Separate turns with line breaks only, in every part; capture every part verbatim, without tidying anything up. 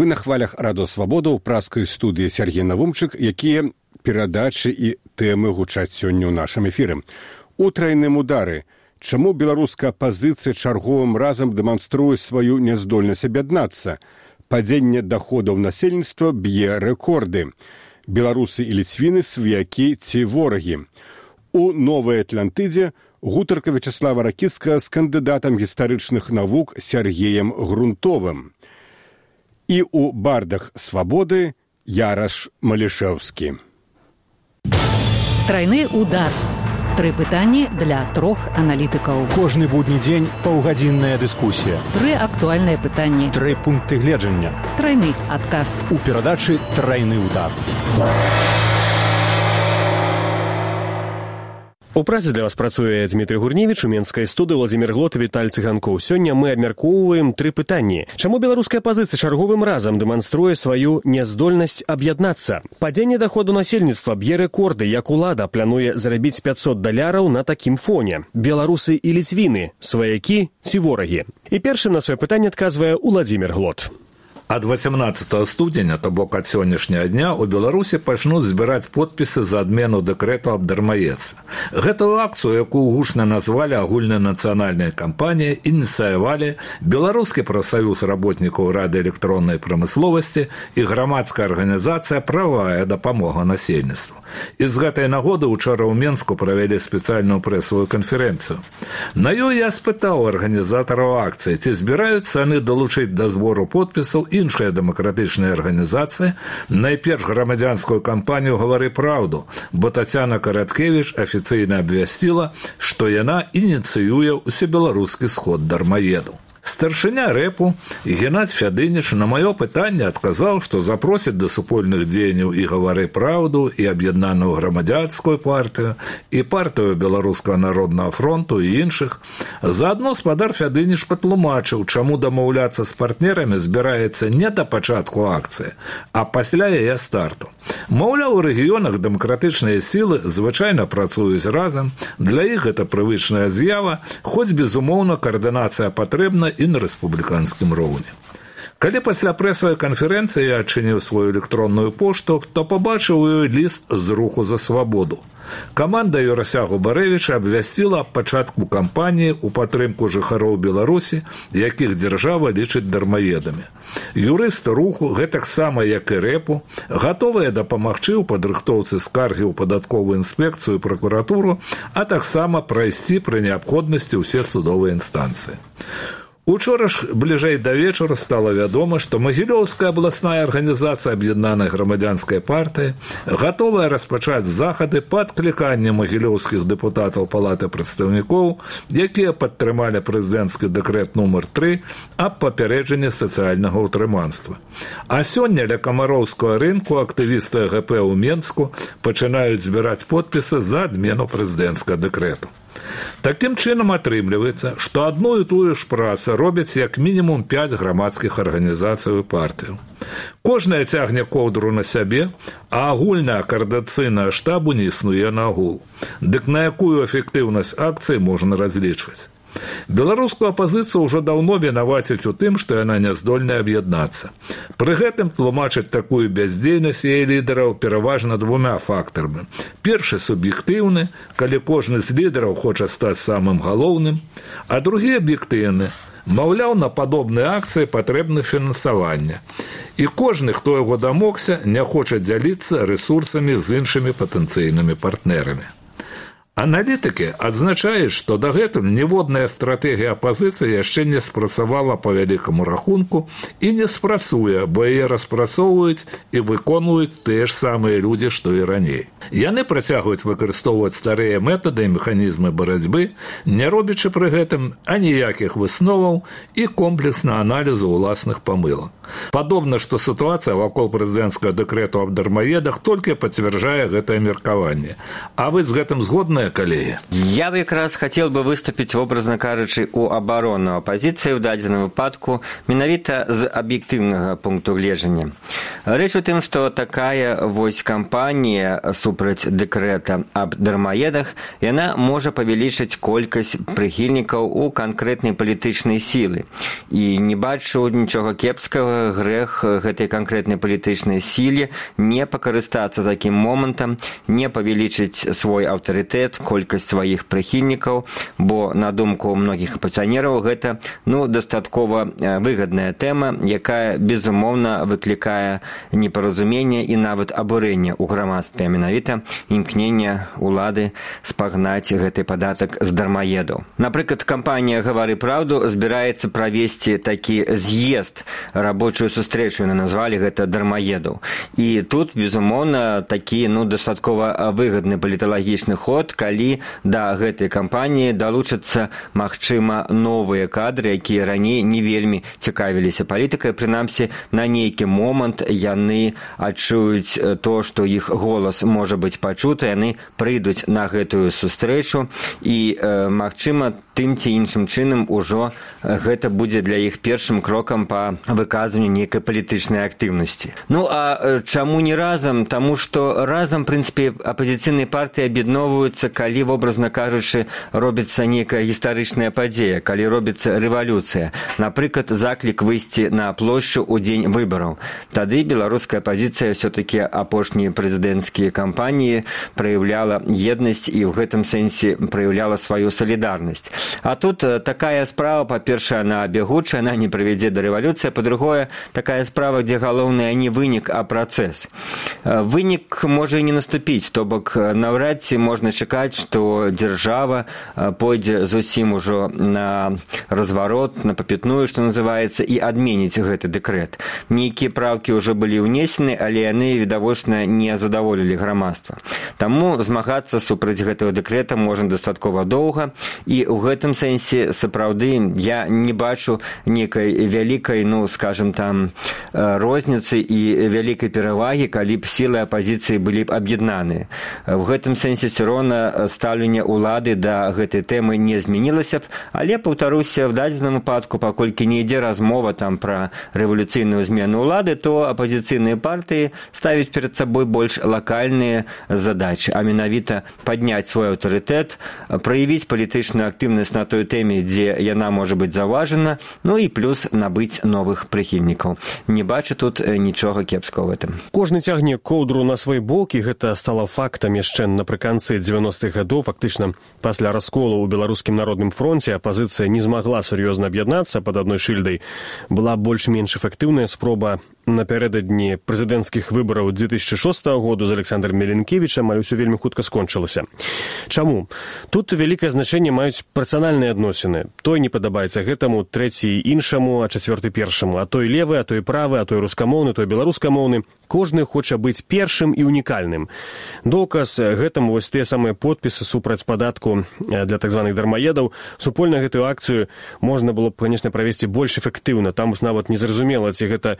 Вы на хвалях Радо Свабода ў праскай студыі Сергей Навумчык, якія перадачы і тэмы гучаць сёння ў нашым эфіры. У трайным удары. Чаму беларуская апазіцыя чарговым разам дэманструе сваю няздольнасць аб'яднацца? Падзенне даходаў насельніцтва б'е рэкорды. Беларусы і ліцвіны сваякі ці ворагі. У Новай Атлантыдзе гутарка Вячеслава Ракіцкага з кандыдатам гістарычных навук Сергеем Грунтовым. І ў бардах свабоды Яраш Малішэўскі.
Трайны удар. Тры пытанні для трох аналітыкаў.
Кожны будні дзень паўгадзінная дыскусія.
Тры актуальныя пытанні.
Тры пункты гледжання.
Трайны адказ.
У перадачы «Трайны удар».
У працы для вас працуе Дмітрый Гурневіч, у менскай студыі Владзімір Глот і Віталь Цыганкоў. Сёння мы абмяркоўваем тры пытанні. Чаму беларуская апазіцыя чарговым разам дэманструе сваю няздольнасць аб'яднацца? Падзенне даходу насельніцтва б'е рэкорды, як улада плануе зарабіць пятьсот даляраў на такім фоне. Беларусы і ліцвіны, сваякі ці ворагі? І першым на сваё пытанне адказвае Владзімір Глот.
Ад восемнадцатага студзеня, то бок ад сённяшняга дня, у Беларусі пачнуць збіраць подпісы за адмену дэкрэту аб дармаедцы. Гэтую акцыю, якую гучна назвалі агульнанацыянальнай кампаніяй, ініцыявалі Беларускі прафсаюз работнікаў радыёэлектроннай прамысловасці і грамадская арганізацыя «Правая дапамога насельніцтву». І з гэтай нагоды учора ў Менску правялі спецыяльную прэсавую канферэнцыю. На ёй я спытаў арганізатараў акцыі, ці збіраюцца яны далучыць да збору подпісаў і іншыя дэмакратычныя арганізацыі, найперш грамадзянскую кампанію «Гавары праўду», бо Тацяна Караткевіч афіцыйна абвясціла, што яна ініцыюе ўсебеларускі сход дармаедаў. Старшыня рэпу Геннадзь Фядыніч на маё пытанне адказаў, што запросіць да супольных дзеянняў і «Гавары праўду», і аб'яднаную грамадзянскую партыю, і партыю Беларускага народнага фронту і іншых. Заадно спадар Фядыніч патлумачыў, чаму дамаўляцца з партнерамі збіраецца не да пачатку акцыі, а пасля яе старту. Маўляў, у рэгіёнах дэмакратычныя сілы звычайна працуюць разам, для іх гэта прывычная з'ява, хоць, безумоўна, каардынацыя патрэбна і на рэспубліканскім роўні. Калі пасля прэсавай канферэнцыі я адчыніў сваю электронную пошту, то пабачыў у ёй ліст з руху за свабоду. Каманда Юрася Губарэвіча абвясціла аб пачатку кампаніі ў падтрымку жыхароў Беларусі, якіх дзяржава лічыць дармаедамі. Юрысты руху, гэтаксама як і рэпу, гатовыя дапамагчы ў падрыхтоўцы скаргі ў падатковую інспекцыю і пракуратуру, а таксама прайсці пры неабходнасці ўсе судовыя інстанцыі. Учора ж бліжэй да вечара стала вядома, што Магілёўская абласная арганізацыя аб'яднанай грамадзянскай партыі гатовая распачаць захады па адкліканні магілёўскіх дэпутатаў Палаты прадстаўнікоў, якія падтрымалі прэзідэнцкі дэкрэт нумар тры аб папярэджанні сацыяльнага ўтрыманства. А сёння ля камароўскага рынку актывісты гэ пэ ў Менску пачынаюць збіраць подпісы за адмену прэзідэнцкага дэкрэту. Такім чынам атрымліваецца, што адну і тую ж працу робяць як мінімум пяць грамадскіх арганізацый і партыяў. Кожная цягне коўдру на сябе, а агульная каардынацыйная штабу не існуе нагул. Дык на якую эфектыўнасць акцыі можна разлічваць? Беларускую апазіцыю ўжо даўно вінавацяць у тым, што яна няздольная аб'яднацца. Пры гэтым тлумачаць такую бяздзейнасць яе лідараў пераважна двумя фактарамі. Першы суб'ектыўны, калі кожны з лідараў хоча стаць самым галоўным, а другі аб'ектыўны. Маўляў, на падобныя акцыі патрэбна фінансаванне. І кожны, хто яго дамогся, не хоча дзяліцца рэсурсамі з іншымі патэнцыйнымі партнерамі. Аналітыкі адзначаюць, што дагэтуль ніводная стратэгія апазіцыі яшчэ не спрацавала па вялікаму рахунку і не спрацуе, бо яе распрацоўваюць і выконваюць тыя ж самыя людзі, што і раней. Яны працягваюць выкарыстоўваць старыя метады і механізмы барацьбы, не робячы пры гэтым аніякіх высноваў і комплексна аналізу ўласных памылак. Падобна, што сітуацыя вакол прэзідэнцкага дэкрэту аб дармаедах толькі пацвярджае гэтае меркаванне. А вы з гэтым згодныя, шановные коллеги.
Я бы как раз хотел бы выступить, образно кажучи, у оборону оппозиции в дадзеным выпадку менавіта з аб'ектыўнага пункту гледжання. Рэч у тым, што такая вось кампанія супраць дэкрэта аб дармаедах, яна можа павялічыць колькасць прыхільнікаў у канкрэтнай палітычнай сілы. І не бачу нічога кепскага, грэх гэтай канкрэтнай палітычнай сіле не пакарыстацца такім момантам, не павялічыць свой аўтарытэт, колькасць сваіх прыхільнікаў, бо, на думку многіх апозіцыянераў, гэта ну, дастаткова выгадная тэма, якая, безумоўна, выклікае непаразуменне і нават абурэнне ў грамадстве, а менавіта імкнення улады спагнаць гэты падатак з дармаедаў. Напрыклад, кампанія «Гавары праўду» збіраецца правесці такі з'езд, рабочую сустрэчу, яны назвалі гэта дармаедаў. І тут, безумоўна, такі ну, дастаткова выгадны паліталагічны ход, калі да гэтай кампаніі далучацца, магчыма, новыя кадры, якія раней не вельмі цікавіліся палітыкай, прынамсі, на нейкі момант яны адчуюць то, што іх голас можа быць пачуты, яны прыйдуць на гэтую сустрэчу і, э, магчыма, тым ці іншым чынам ужо гэта будзе для іх першым крокам па выказванню нейкай палітычнай актыўнасці. Ну, а чаму не разам? Таму што разам, в прынцыпе, апозіцыйныя партыі аб'ядноўваюцца, калі, образна кажучы, робіцца нейкая гістарычная падзея, калі робіцца рэвалюцыя. Напрыклад, заклік выйсці на плошчу ў дзень выбараў. Тады беларуская апозіцыя ўсё-такі апошнія прэзідэнцкія кампаніі праяўляла еднасць і ў гэтым сэнсе праяўляла сваю салідарнасць. А тут такая справа, па-першае, она бягучая, она не прывядзе да рэвалюцыі, па-другое, такая справа, дзе галоўнае не вынік, а працэс. Вынік можа і не наступіць, то бок наўрад ці можна чакаць, што дзяржава пойдзе зусім ужо на разварот, на папятную, што называецца, і адменіць гэты дэкрэт. Нейкія правкі ўжо былі ўнесены, але яны, відавочна, не задаволілі грамадства. Таму змагацца супраць гэтага дэкрэта можна дастаткова доўга, і ў гэтым сэнсе, сапраўды, я не бачу нейкай вялікай, ну, скажем, там, розніцы і вялікай перавагі, калі б сілы апозіцыі былі б аб'яднаныя. В гэтым сэнсе ўсё роўна стаўленне ўлады да гэтай тэмы не змянілася б, але, паўтаруся, в дадзеным выпадку, паколькі не ідзе размова там пра рэвалюцыйную змену ўлады, то апозіцыйныя партыі ставяць перад сабой больш лакальныя задачы, а менавіта падняць свой аўтарытэт, праявіць палітычную актыўнасць на той тэме, дзе яна можа быць заўважана, ну і плюс набыць новых прыхільнікаў. Не бачу тут нічога кепскага в этом.
Кожны цягне коўдру на свой бок, і гэта стала фактам яшчэ напрыканцы дзевяностых гадоў. Фактычна, пасля расколу ў беларускім народным фронце апазіцыя не змагла сур'ёзна аб'яднацца пад адной шыльдай. Была больш-менш эфектыўная спроба напярэдадні прэзідэнцкіх выбараў две тысячи шостага году з Александром Меленкевічам, але ўсё вельмі хутка скончылася. Чаму? Тут вялікае значэнне маюць працыянальныя адносіны. Той не падабаецца гэтаму, трэці іншаму, а чацвёрты першаму. А той левы, а той правы, а той рускамоўны, той беларускамоўны. Кожны хоча быць першым і унікальным. Доказ гэтаму вось тыя самыя подпісы супраць падатку для так званых дармаедаў. Супольна гэтую акцыю можна было б, конечно, правесці больш эфектыўна. Там нават незразумела, ці гэта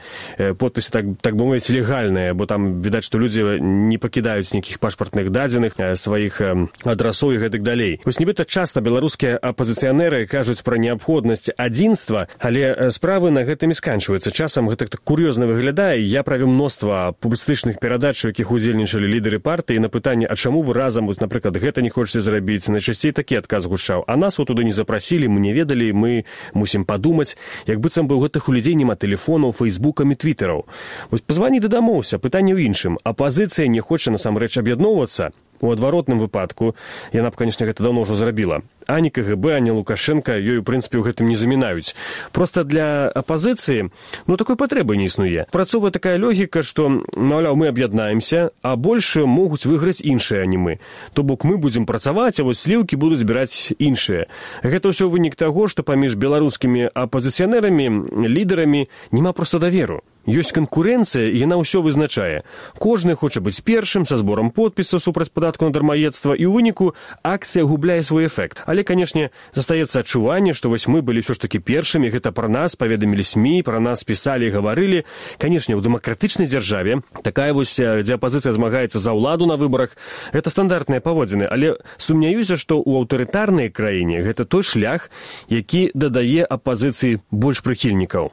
подпісы, так, так бы мовіць, легальныя, бо там відаць, што людзі не пакідаюць нейкіх пашпартных дадзеных, сваіх адрасоў і гэтак далей. Вось нібыта часта беларускія апозіцыянеры кажуць пра неабходнасць адзінства, але справы на гэтым і сканчваюцца. Часам гэта так кур'ёзна выглядае. Я правіў мноства публістычных перадач, у якіх удзельнічалі лідары партыі, на пытанне, а чаму вы разам, вот, напрыклад, гэта не хочаце зрабіць? Найчасцей такі адказ гучаў. А нас вот туды не запрасілі, мы не ведалі, мы мусім падумаць. Як быццам бы у гэтых у людзей няма тэлефонаў, фейсбукам і твітэраў. Вось пазвані дадамоўся, пытанне ў іншым. Апазіцыя не хоча насамрэч аб'ядноўвацца. У адваротным выпадку, яна б, конечно, гэта даўно ўжо зрабіла. Ані КГБ, ані Лукашенко ёй, у прынцыпе, ў гэтым не замінаюць. Проста для апазіцыі, ну, такой патрэбы не існуе. Працоўвае такая логіка, што, маўляў, мы аб'яднаемся, а больш могуць выйграць іншыя, а не мы. То бок мы будзем працаваць, а вось сліўкі будуць збіраць іншыя. Гэта ўсё вынік таго, што паміж беларускімі апазіцыянерамі, лідарамі няма проста даверу. Ёсць канкурэнцыя, і яна ўсё вызначае. Кожны хоча быць першым, са зборам подпіса супраць падатку на дармаедства, і ў выніку акцыя губляе свой эфект. Але, канешне, застаецца адчуванне, што вось мы былі ўсё ж такі першымі, гэта пра нас паведамілі СМІ, пра нас пісалі і гаварылі. Канешне, у дэмакратычнай дзяржаве такая вось, дзе апазіцыя змагаецца за ўладу на выбарах, гэта стандартныя паводзіны, але сумняюся, што ў аўтарытарнай краіне гэта той шлях, які дадае апазіцыі больш прыхільнікаў.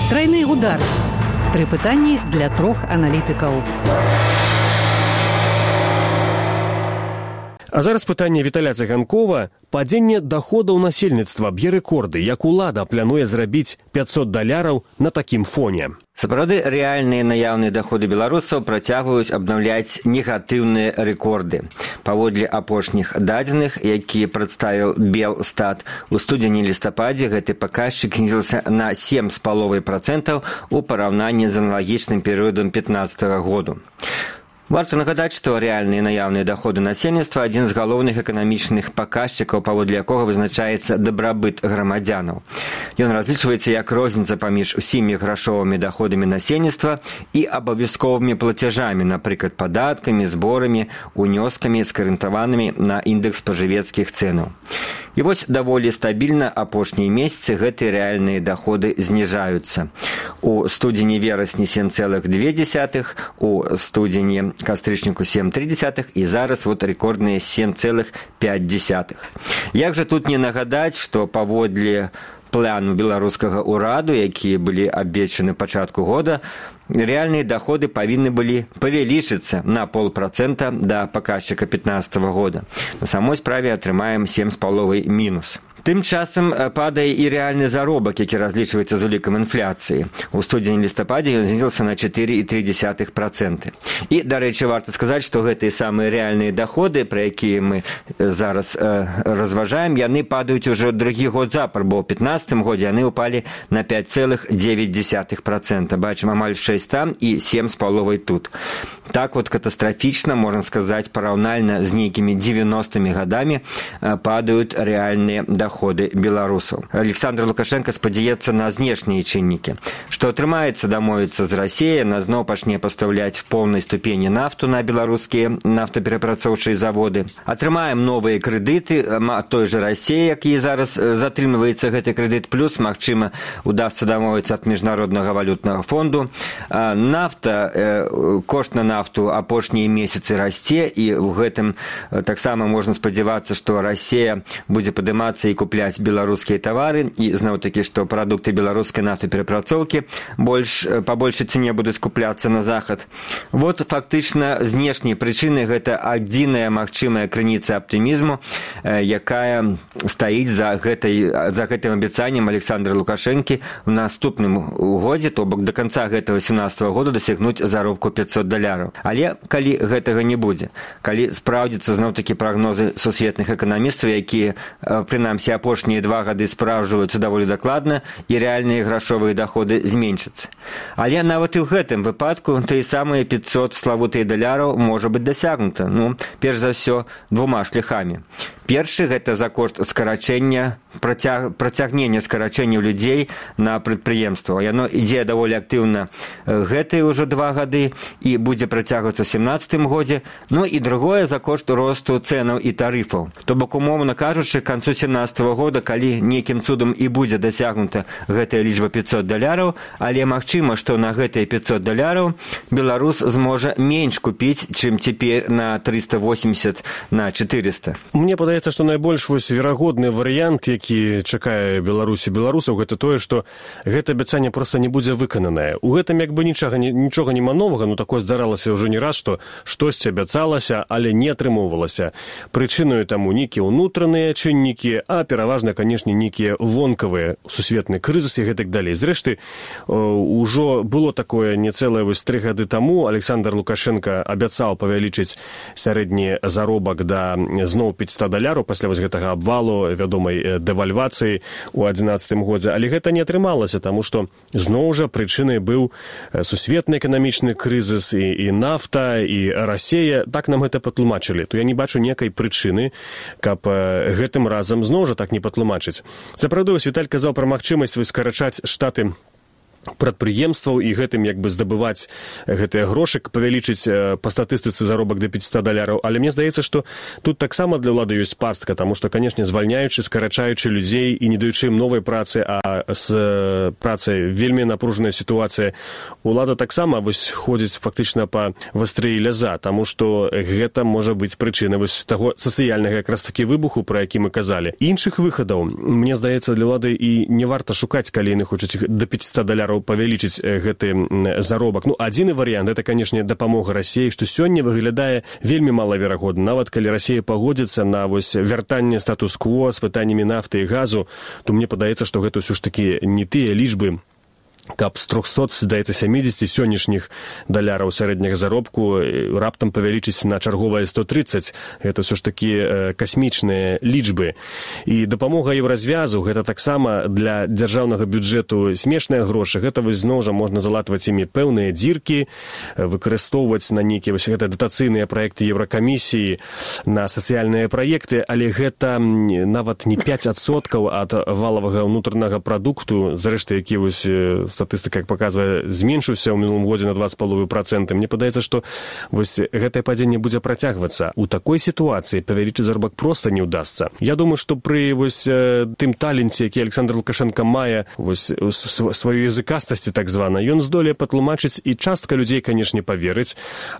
Тройны удар. Тры пытанні для трох аналітыкаў.
А зараз пытанне Віталя Цыганкова. Падзенне даходаў насельніцтва б'е рэкорды, як улада плануе зрабіць пятьсот даляраў на такім фоне.
Сапраўды, рэальныя наяўныя даходы беларусаў працягваюць абнаўляць негатыўныя рэкорды. Паводле апошніх дадзеных, які прадставіў Белстат, у студзені-лістападзе гэты паказчык знізіўся на сем з паловай працэнтаў у параўнанні з аналагічным перыядам пятнаццатага году. Варта нагадаць, што рэальныя наяўныя даходы насельніцтва – адзін з галоўных эканамічных паказчыкаў, паводле якога вызначаецца дабрабыт грамадзянаў. Ён разлічваецца як розніца паміж усімі грашовымі даходамі насельніцтва і абавязковымі плацяжамі, напрыклад, падаткамі, зборамі, унёскамі, скарыентаванымі на індэкс спажывецкіх цэнаў. І вось даволі стабільна апошнія месяцы гэтыя рэальныя даходы зніжаюцца. У студзені-верасні сем цэлых дзве дзесятых, у студзені кастрычніку сем цэлых тры дзесятых і зараз вот рэкордныя сем цэлых пяць дзесятых. Як жа тут не нагадаць, што паводле плану беларускага ўраду, якія былі абвешчаны пачатку года, рэальныя даходы павінны былі павялічыцца на полпрацэнта да паказчыка пятнаццатага года. На самой справе атрымаем сем з паловай мінус. Тым часам падае і рэальны заробак, які разлічваецца з улікам інфляцыі. У студзені-лістападзе ён знізіўся на чатыры і тры дзесятых працэнта. І, дарэчы, варта сказаць, што гэтыя самыя рэальныя даходы, пра якія мы зараз э, разважаем, яны падаюць ужо другі год запар, бо ў пятнаццатым годзе яны ўпалі на пяць цэлых дзевяць дзесятых працэнта. Бачым амаль шэсць там і сем з паловай тут. Так вот катастрафічна, можна сказаць, параўнальна з нейкімі дзевяностымі гадамі э, падаюць рэальныя даходы. Доходы беларусаў. Александр Лукашенко спадзяецца на знешнія чыннікі, што атрымаецца дамовіцца з Расіяй, на зноў пачне пастаўляць в поўнай ступені нафту на беларускія нафтаперапрацоўчыя заводы. Атрымаем новыя крэдыты той жа Расіі, які зараз затрымліваецца гэты крэдыт, плюс, магчыма, удасца дамовіцца ад міжнароднага валютнага фонду. Нафта, кошт на нафту апошнія месяцы расце, і ў гэтым таксама можна спадзявацца, што Расія будзе падымацца і купляць беларускія тавары, і зноў-такі, што прадукты беларускай нафтаперапрацоўкі больш, па большай цэне будуць купляцца на захад. Вот фактычна знешнія прычыны гэта адзіная магчымая крыніца аптымізму, якая стаіць за гэтай, за гэтым абяцаннем Александра Лукашэнкі в наступным годзе, то бок до канца гэтага сямнаццатага года дасягнуць заробку пятьсот даляраў. Але калі гэтага не будзе, калі спраўдзяцца зноў-такі прагнозы сусветных эканамістаў, якія прынамсі апошнія два гады спраўджваюцца даволі дакладна, і рэальныя грашовыя даходы зменшацца. Але нават і ў гэтым выпадку тыя самыя пятьсот славутыя даляраў можа быць дасягнута, ну, перш за ўсё, двума шляхамі. Першы – гэта за кошт скарачэння, працяг, працягнення скарачэнняў людзей на прадпрыемства. Яно ідзе даволі актыўна гэтыя ўжо два гады і будзе працягвацца ў сямнаццатым годзе. Ну і другое – за кошт росту цэнаў і тарыфаў. То бок, умоўна кажучы, к канцу сямнаццатага года, калі нейкім цудам і будзе дасягнута гэтая лічба пятьсот даляраў, але магчыма, што на гэтыя пятьсот даляраў беларус зможа менш купіць, чым цяпер на трыста восемьдесят на четыреста.
Мне падаецца, што найбольш вось верагодны варыянт, які чакае Беларусі беларусаў, гэта тое, што гэта абяцанне проста не будзе выкананае. У гэтым як бы нічога, нічога нема новага, ну такое здаралася ўжо не раз, што штосьці абяцалася, але не атрымоўвалася. Прычынаю таму нейкія ўнутраныя чыннікі, а пераважна, канешне, нейкія вонкавыя, сусветны крызіс і гэтак далей. Зрэшты, ужо было такое не цэлае вось тры гады таму. Александр Лукашенко абяцаў павялічыць сярэдні заробак да зноў пятьсот даляраў пасля вось гэтага абвалу, вядомай дэвальвацыі ў адзінаццатым годзе. Але гэта не атрымалася, таму што зноў жа прычынай быў сусветны эканамічны крызіс і, і нафта, і Расія. Так нам гэта патлумачылі. То я не бачу некай прычыны, каб гэтым разам зноў жа так не патлумачыць. Сапраўды, Віталь казаў пра магчымасць скарачаць штаты прадпрыемстваў і гэтым як бы здабываць гэтыя грошы, павялічыць па статыстыцы заробак да пятьсот даляраў. Але мне здаецца, што тут таксама для ўлады ёсць пастка, таму што, канешне, звальняючы, скарачаючы людзей і не даючы ім новай працы, а з працай вельмі напружаная сітуацыя, улада таксама вось ходзіць фактычна па вастрыі ляза, таму што гэта можа быць прычынай вось таго сацыяльнага якраз такі выбуху, пра які мы казалі. Іншых выхадаў, мне здаецца, для ўлады і не варта шукаць, калі яны хочуць да пятьсот даляраў павялічыць гэты заробак. Ну, адзіны варыянт, это, канешне, дапамога Расіі, што сёння выглядае вельмі малаверагодна. Нават калі Расія пагодзіцца на вось вяртанне статус-кво з пытаннямі нафты і газу, то мне падаецца, што гэта ўсё ж такі не тыя лічбы, каб з трохсот, здаецца, сямідзесяці сённяшніх даляраў сярэдняга заробку раптам павялічыць на чарговае сто трыццаць. Гэта ўсё ж такі касмічныя лічбы. І дапамога еўразвязу, гэта таксама для дзяржаўнага бюджэту смешныя грошы. Гэта вось зноў жа можна залатваць імі пэўныя дзіркі, выкарыстоўваць на нейкія вось гэта датацыйныя праекты Еўракамісіі, на сацыяльныя праекты, але гэта нават не пяць адсоткаў ад валавага ўнутранага прадукту, зрэшты, які вось статыстыка, як паказвае, зменшыўся ў мінулым годзе на два з паловай працэнта. Мне падаецца, што вось гэтае падзенне будзе працягвацца. У такой сітуацыі павялічыць заробак проста не ўдасца. Я думаю, што пры вось тым таленце, які Александр Лукашенко мае, вось сваю языкастасці так звана, ён здолее патлумачыць, і частка людзей, канешне, паверыць,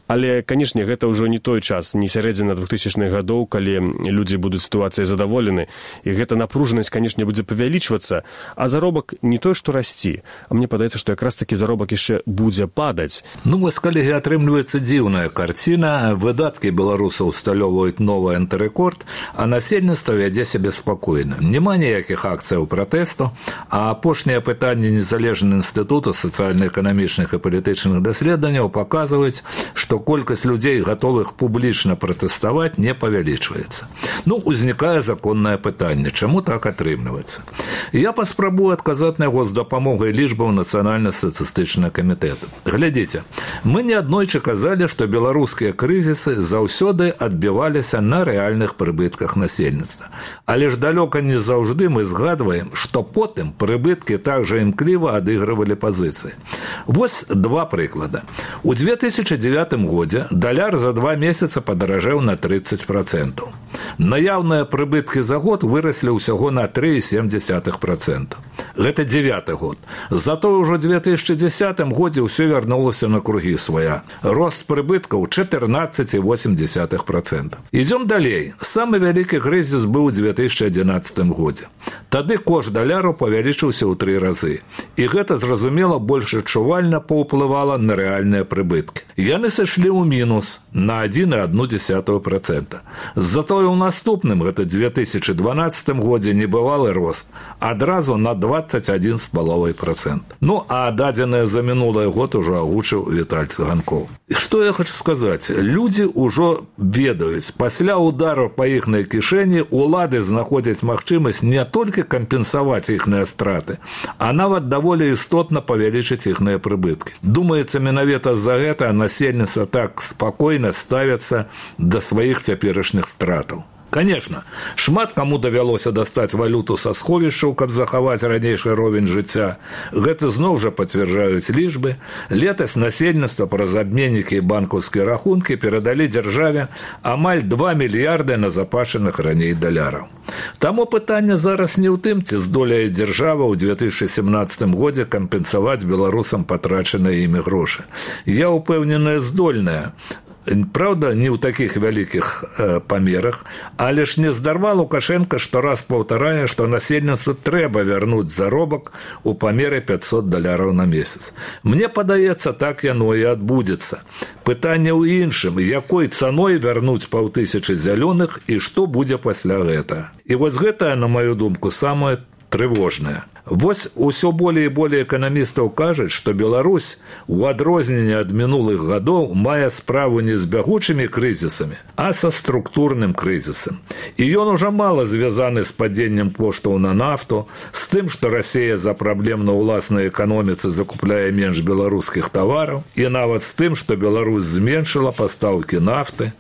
але, канешне, гэта ўжо не той час, не сярэдзіна двухтысячных гадоў, калі людзі будуць сітуацыяй задаволены, і гэта напружанасць, канешне, будзе павялічвацца, а заробак не той, што расці, а мне падаецца, што якраз такі заробак яшчэ будзе падаць.
Ну, вось, калегі, атрымліваецца дзіўная карціна. Выдаткі беларусаў усталёўваюць новы антырэкорд, а насельніцтва вядзе сябе спакойна. Няма ніякіх акцыяў пратэсту, а апошнія пытанні незалежнага інстытута сацыяльна-эканамічных і палітычных даследаванняў паказваюць, што колькасць людзей, гатовых публічна пратэставаць, не павялічваецца. Ну, узнікае законнае пытанне, чаму так атрымліваецца? Я паспрабую адказаць на яго з дапамогай лічбаў Нацыянальна-статыстычнага камітэта. Глядзіце, мы неаднойчы казалі, што беларускія крызісы заўсёды адбіваліся на рэальных прыбытках насельніцтва. Але ж далёка не заўжды мы згадваем, што потым прыбыткі так жа імкліва адыгрывалі пазіцыі. Вось два прыклада. У две тысячы дзевятым годзе даляр за два месяца падаражэў на трыццаць працэнтаў. Наяўныя прыбыткі за год выраслі ўсяго на тры цалых сем дзесятых працэнта. Гэта дзевяты год. Затое ўжо ў две тысячы дзесятым годзе ўсё вярнулася на кругі свая. Рост прыбыткаў чатырнаццаць цалых восем дзесятых працэнта. Ідзём далей. Самы вялікі крызіс быў у две тысячы адзінаццатым годзе. Тады кошт даляру павялічыўся ў тры разы. І гэта, зразумела, больш адчувальна паўплывала на рэальныя прыбыткі. Яны сышлі ў мінус на адзін цалых адну дзесятую працэнта. Затое ў наступным, гэта две тысячы дванаццатым годзе, небывалы рост. Адразу на дваццаць адзін з паловай працэнта. Ну, а дадзеныя за мінулы год ужо агучыў Віталь Цыганкоў. І што я хочу сказаць? Людзі ўжо ведаюць. Пасля удару па іхнай кішэні улады знаходзяць магчымасць не толькі кампенсаваць іхныя страты, а нават даволі істотна павялічыць іхныя прыбыткі. Думаецца, менавіта з-за гэта насельніцтва так спакойна ставяцца да сваіх цяперашніх стратаў. Конечно, шмат каму давялося дастаць валюту са сховішчаў, каб захаваць ранейшы ровень жыцця. Гэта зноў жа пацвярджаюць лічбы. Летась насельніцтва праз абменнікі і банкаўскія рахункі перадалі дзяржаве амаль два мільярды назапашаных раней даляраў. Таму пытанне зараз не ў тым, ці здолее дзяржава ў две тысячы сямнаццатым годзе кампенсаваць беларусам патрачаныя імі грошы. Я ўпэўненая, здольная. Правда, не ў такіх вялікіх э, памерах, але ж не здарма Лукашенко штораз паўтарае, што насельніцтву трэба вярнуць заробак у памеры пятьсот даляраў на месяц. Мне падаецца, так яно і адбудзецца. Пытанне ў іншым, якой цаной вярнуць паўтысячы зялёных і што будзе пасля гэта. І вось гэта, на маю думку, самае трывожнае. Вось усё болей і болей эканамістаў кажуць, што Беларусь у адрозненне ад мінулых гадоў мае справу не з бягучымі крызісамі, а са структурным крызісам. І ён ужо мала звязаны з падзеннем коштаў на нафту, з тым, што Расія за праблем на ўласнай эканоміцы закупляе менш беларускіх тавараў, і нават з тым, што Беларусь зменшыла пастаўкі нафты.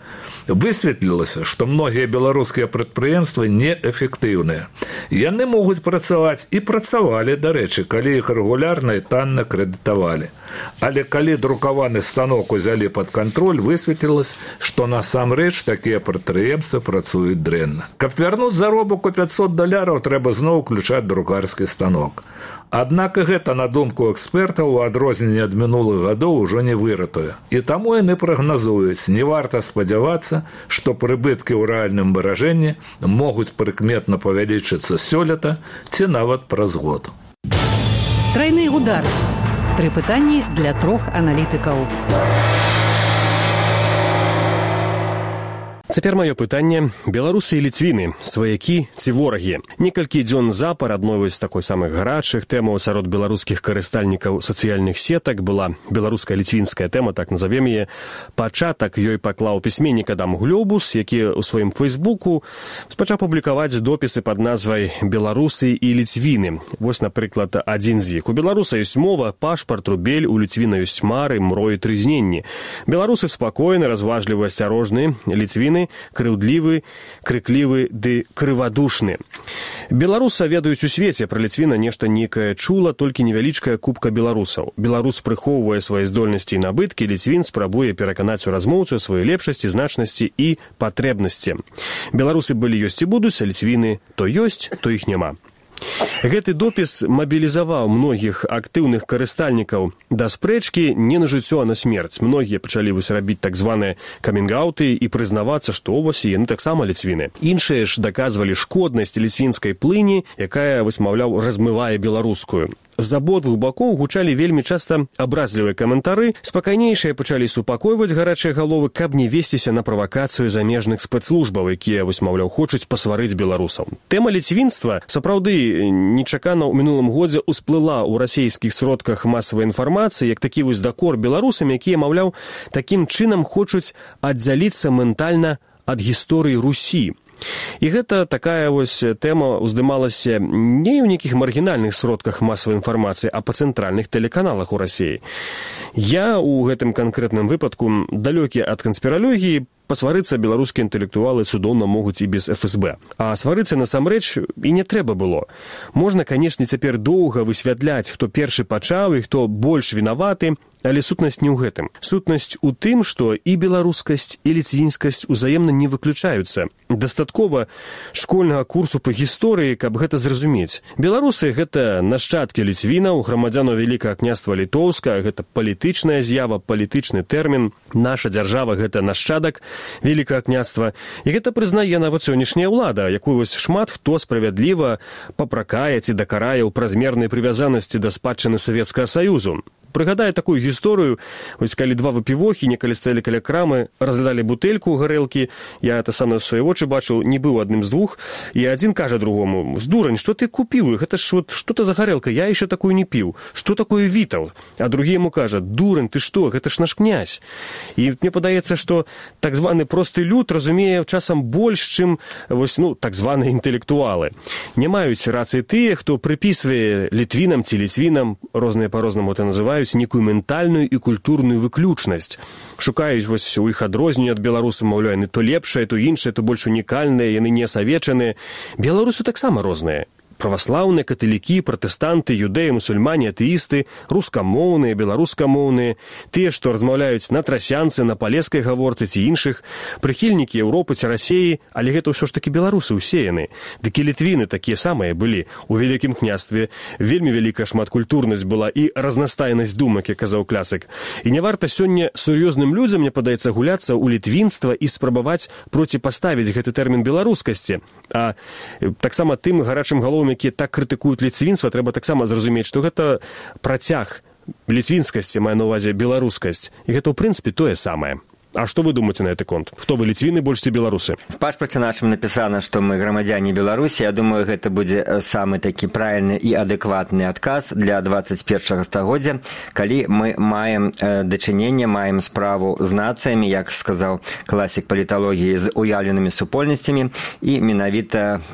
Высветлілася, што многія беларускія прадпрыемствы неэфектыўныя. Яны могуць працаваць і працавалі, дарэчы, калі іх рэгулярна і танна крэдытавалі. Але калі друкаваны станок узялі пад кантроль, высветлілася, што насамрэч такія прадпрыемствы працуюць дрэнна. Каб вярнуць заробак у пятьсот даляраў, трэба зноў уключаць друкарскі станок. Аднак і гэта, на думку экспертаў, у адрозненні ад мінулых гадоў ужо не выратуе. І таму яны прагназуюць, не варта спадзявацца, што прыбыткі ў рэальным выражэнні могуць прыкметна павялічыцца сёлета ці нават праз год.
Тройны удар. Тры пытанні для трох аналітыкаў.
Цяпер маё пытанне. Беларусы і ліцвіны, сваякі ці ворагі? Некалькі дзён запар адной з такой самых гарачых тэмаў сярод беларускіх карыстальнікаў сацыяльных сетак была беларуска-ліцвінская тэма, так назовем яе. Пачатак ёй паклаў пісьменнік Адам Глёбус, які ў сваім фэйсбуку пачаў публікаваць допісы пад назвай «Беларусы і ліцвіны». Вось, напрыклад, адзін з іх. У беларуса ёсць мова, пашпарт, рубель, у ліцвіна ёсць мары, мроі, трызненні. Беларусы спакойны, разважлівы, асцярожны, ліцвіны крыўдлівы, крыклівы ды крывадушны. Беларуса ведаюць у свеце, пра ліцвіна нешта некае чула, толькі невялічкая купка беларусаў. Беларус прыхоўвае свае здольнасці і набыткі, ліцвін спрабуе пераканаць у размоўцу сваёй лепшасці, значнасці і патрэбнасці. Беларусы былі, ёсць і будуць, а ліцвіны то ёсць, то іх няма. Гэты допіс мабілізаваў многіх актыўных карыстальнікаў да спрэчкі не на жыццё, а на смерць. Многія пачалі вось рабіць так званыя камінг-аўты і прызнавацца, што вось яны таксама ліцвіны. Іншыя ж даказвалі шкоднасць ліцвінскай плыні, якая, вось, маўляў, размывае беларускую. З абодвух бакоў гучалі вельмі часта абразлівыя каментары, спакайнейшыя пачалі супакойваць гарачыя галовы, каб не весціся на правакацыю замежных спецслужбаў, якія, вось, маўляў, хочуць пасварыць беларусаў. Тэма ліцвінства сапраўды нечакана ў мінулым годзе ўсплыла ў расійскіх сродках масавай інфармацыі, як такі вось дакор беларусам, якія, маўляў, такім чынам хочуць аддзяліцца ментальна ад гісторыі Русі. І гэта такая вось тэма уздымалася не ў нейкіх маргінальных сродках масавай інфармацыі, а па цэнтральных тэлеканалах у Расіі. Я ў гэтым канкрэтным выпадку далёкі ад канспіралогіі, пасварыцца беларускія інтэлектуалы цудоўна могуць і без эф эс бэ. А сварыцца насамрэч і не трэба было. Можна, канешне, цяпер доўга высвятляць, хто першы пачаў і хто больш вінаваты, але сутнасць не ў гэтым. Сутнасць у тым, што і беларускасць, і ліцвінскасць узаемна не выключаюцца. Дастаткова школьнага курсу па гісторыі, каб гэта зразумець. Беларусы — гэта нашчадкі ліцвінаў, грамадзянаў Вялікага княства Літоўска, гэта палітычная з'ява, палітычны тэрмін. Наша дзяржава — гэта нашчадак Вялікага княства. І гэта прызнае нават сённяшняя ўлада, якую вось шмат хто справядліва папракае ці дакарае ў празмернай прывязанасці да спадчыны Савецкага Саюзу. Прыгадаю такую гісторыю, вось калі два выпівохі некалі стаялі каля крамы, разглядалі бутэльку гарэлкі, я это сам на свае вочы бачыў, не быў адным з двух, і адзін кажа другому: «Здурань, што ты купіў? Гэта ж вот што-то за гарэлка, я яшчэ такую не піў. Што такое вітаў?» А другі яму кажа: «Дурань, ты што? Гэта ж наш князь». І мне падаецца, што так званы просты люд разумее часам больш, чым вось, ну, так званыя інтэлектуалы. Не маюць рацыі тыя, хто прыпісвае літвінам ці ліцвінам, розныя па-рознаму это называюць, некую ментальную і культурную выключнасць. Шукаюць вось у іх адрозненне ад беларусаў, маўляў, яны то лепшае, то іншае, то больш унікальныя, яны не асавечаныя. Беларусы таксама розныя. Праваслаўныя, каталікі, пратэстанты, юдэі, мусульмане, атэісты, рускамоўныя, беларускамоўныя, тыя, што размаўляюць на трасянцы, на палескай гаворцы ці іншых, прыхільнікі Еўропы ці Расіі, але гэта ўсё ж такі беларусы ўсе яны. Дык і літвіны такія самыя былі. У Вялікім княстве вельмі вялікая шматкультурнасць была і разнастайнасць думак, як казаў класік. І не варта сёння сур'ёзным людзям, мне падаецца, гуляцца ў літвінства і спрабаваць проціпаставіць гэты тэрмін беларускасці. А таксама тым гарачым галовам, якія так крытыкуюць ліцвінства, трэба таксама зразумець, што гэта працяг ліцвінскасці, мае на ўвазе беларускасць. І гэта, ў прынцыпе, тое самае. А што вы думаеце на гэты конт? Хто вы, ліцвіны больш ці беларусы?
В пашпарце нашым напісана, што мы грамадзяне Беларусі. Я думаю, гэта будзе самы такі правільны і адэкватны адказ для дваццаць першага стагоддзя, калі мы маем дачыненне, маем справу з нацыямі, як сказаў класік паліталогіі, з уяўленымі супольнасцямі, і менавіта,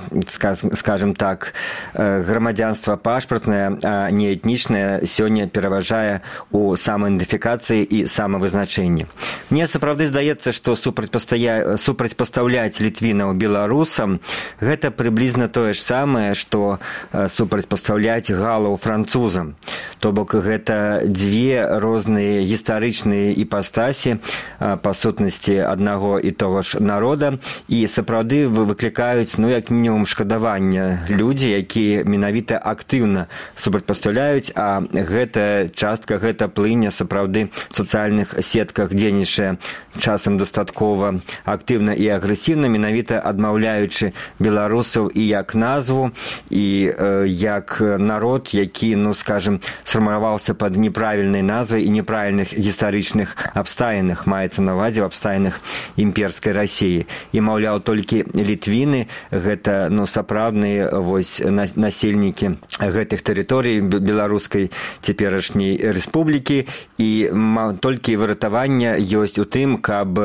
скажем так, грамадзянства пашпартнае, а не этнічнае, сёння пераважае у самаідэнтыфікацыі і самавызначэнні. Мне сапраўды сапраўды здаецца, што супрацьпастаўляць літвінаў беларусам гэта прыблізна тое ж самае, што супрацьпастаўляць галаў французам. То бок гэта дзве розныя гістарычныя іпастасі па сутнасці аднаго і того ж народа, і сапраўды выклікаюць, ну, як мінімум, шкадавання людзі, якія менавіта актыўна супрацьпастаўляюць, а гэта частка, гэта плыня сапраўды в сацыяльных сетках дзейнічае часам дастаткова актыўна і агрэсіўна, менавіта адмаўляючы беларусаў і як назву, і э, як народ, які, ну, скажем, сфармаваўся пад неправільнай назвай і неправільных гістарычных абставінах, маецца на ўвазе в абставінах імперскай Расіі. І, маўляў, толькі літвіны гэта, ну, сапраўдныя вось насельнікі гэтых тэрыторый беларускай цяперашняй рэспублікі, і толькі выратаванне ёсць у тым, каб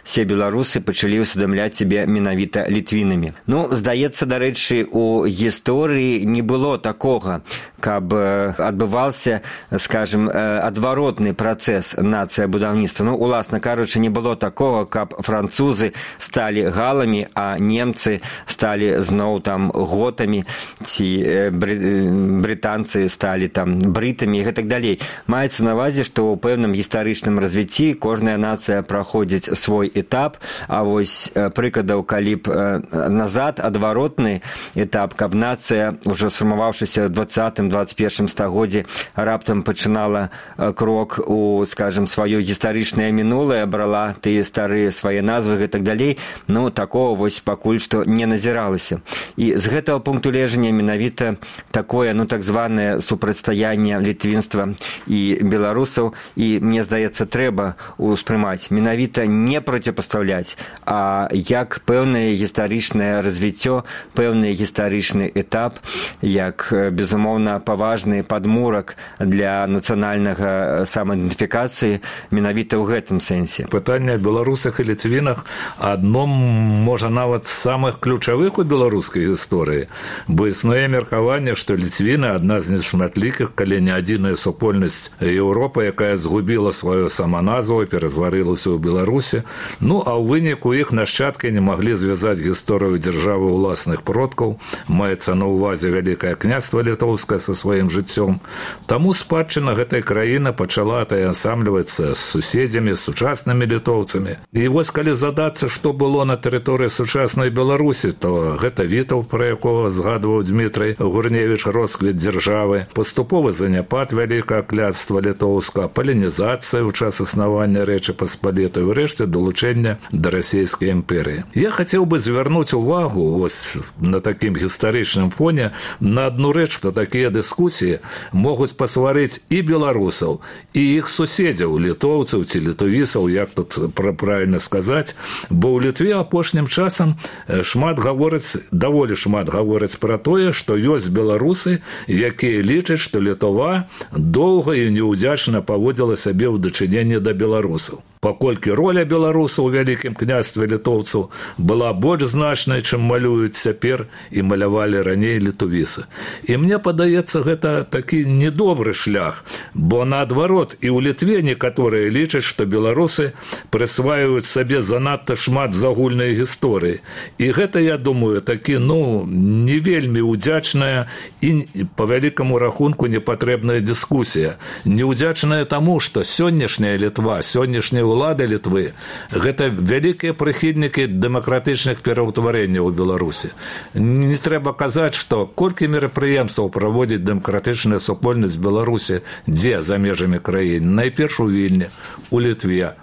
все беларусы пачалі ўсведамляць сябе менавіта літвінамі. Ну, здаецца, дарэчы, у гісторыі не было такога, каб адбываўся, скажем, адваротны працэс нацыябудаўніцтва. Ну, уласна кажучы, не было такога, каб французы сталі галамі, а немцы сталі зноў там готамі, ці брытанцы сталі там брытамі і гэтак далей. Маецца на ўвазе, што ў пэўным гістарычным развіцці кожная нацыя праходзіць свой этап, а вось прыкладаў, калі б назад адваротны этап, каб нацыя, ўжо сфармаваўшыся ў двадцатым-двадцать першым стагоддзі, раптам пачынала крок у, скажем, сваё гістарычнае мінулае, брала тыя старыя свае назвы і так далей, ну, такого вось пакуль што не назіралася. І з гэтага пункту гледжання менавіта такое, ну, так званае супрацьстаянне літвінства і беларусаў, і, мне здаецца, трэба ўспрымаць, менавіта не проціпастаўляць, а як пэўнае гістарычнае развіццё, пэўны гістарычны этап, як, безумоўна, паважны падмурак для нацыянальнага самаідэнтыфікацыі менавіта ў гэтым сэнсе.
Пытанне о беларусах і ліцвінах адно, можа, нават з самых ключавых у беларускай гісторыі, бо існуе меркаванне, што ліцвіны адна з нешматлікіх, калі не адзіная супольнасць Еўропы, якая згубіла сваю саманазву і ператварылася ў Беларусі. Ну, а ў выніку іх нашчадкі не маглі звязаць гісторыю дзяржавы ўласных продкаў, маецца на ўвазе Вялікае княства літоўскае са сваім жыццём. Таму спадчына гэтай краіны пачала атаясамлівацца з суседзямі, з сучаснымі літоўцамі. І вось калі задацца, што было на тэрыторыі сучаснай Беларусі, то гэта Вітаў, пра якога згадваў Дмітрый Гурневіч, росквіт дзяржавы, паступовы заняпад Вялікага княства літоўскага, палінізацыя ў час існавання Рэчы Паспалітай, урэшце далучэння да расійскай імперыі. Я хацеў бы звярнуць увагу вось на такім гістарычным фоне на адну рэч, што такія дыскусіі могуць пасварыць і беларусаў, і іх суседзяў, літоўцаў ці літовісаў, як тут правільна сказаць, бо ў Літве апошнім часам шмат гавораць, даволі шмат гавораць пра тое, што ёсць беларусы, якія лічаць, што Літва доўга і неўдзячна паводзіла сябе ў дачыненні да беларусаў. Паколькі роля беларусаў у Вялікім княстве літоўцаў была больш значнай, чым малююць цяпер і малявалі раней літовісы. І мне падаецца, гэта такі недобры шлях, бо наадварот і ў Літве некаторыя лічаць, што беларусы прысваиваюць сабе занадта шмат з агульнай гісторыі. І гэта, я думаю, такі, ну, не вельмі ўдзячная і па вялікаму рахунку непатрэбная дыскусія. Неўдзячная таму, што сённяшняя Літва, сённяшняя улады Літвы – гэта вялікія прыхільнікі дэмакратычных пераўтварэнняў у Беларусі. Не трэба казаць, што колькі мерапрыемстваў праводзіць дэмакратычная супольнасць Беларусі, дзе за межамі краіны? Найперш у Вільні, у Літве.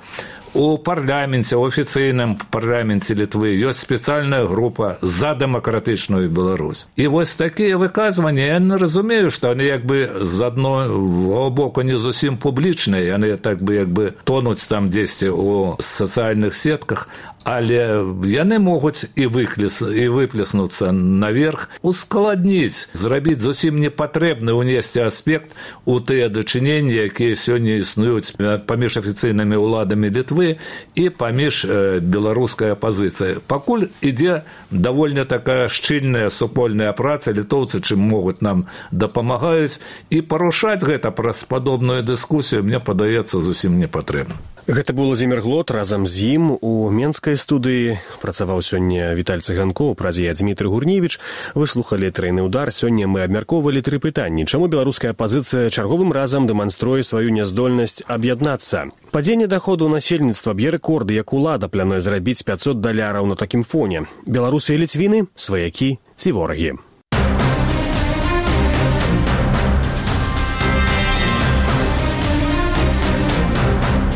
У парламенце, у афіцыйным парламенце Літвы ёсць спецыяльная група за дэмакратычную Беларусь. І вось такія выказванні, я не разумею, што яны як бы з адного боку не зусім публічныя, яны так бы як бы тонуць там дзесьці ў сацыяльных сетках, але яны могуць і выплеснуцца наверх, ускладніць, зрабіць зусім непатрэбны ўнесці аспект у тыя дачыненні, якія сёння існуюць паміж афіцыйнымі ўладамі Літвы і паміж беларускай апазіцыяй. Пакуль ідзе даволі такая шчыльная супольная праца, літоўцы чым могуць нам дапамагаюць, і парушаць гэта праз падобную дыскусію, мне падаецца, зусім не патрэбна.
Гэта быў Владзімір Глот, разам з ім у менскай студыі працаваў сёння Віталь Цыганкоў, праз яе Дмітрый Гурневіч. Вы слухалі «Трайны удар». Сёння мы абмяркоўвалі тры пытанні. Чаму беларуская апазіцыя чарговым разам дэманструе сваю няздольнасць аб'яднацца? Падзенне даходу насельніцтва б'е рэкорды, як улада плануе зрабіць пяцьсот даляраў на такім фоне. Беларусы і ліцвіны, сваякі ці ворагі?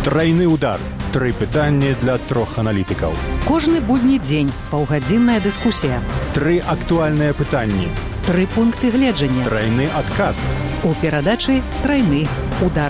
Трайны удар. Тры пытанні для трох аналітыкаў.
Кожны будні дзень паўгадзінная дыскусія.
Тры актуальныя пытанні.
Тры пункты гледжання.
Трайны адказ.
У перадачы «Трайны удар».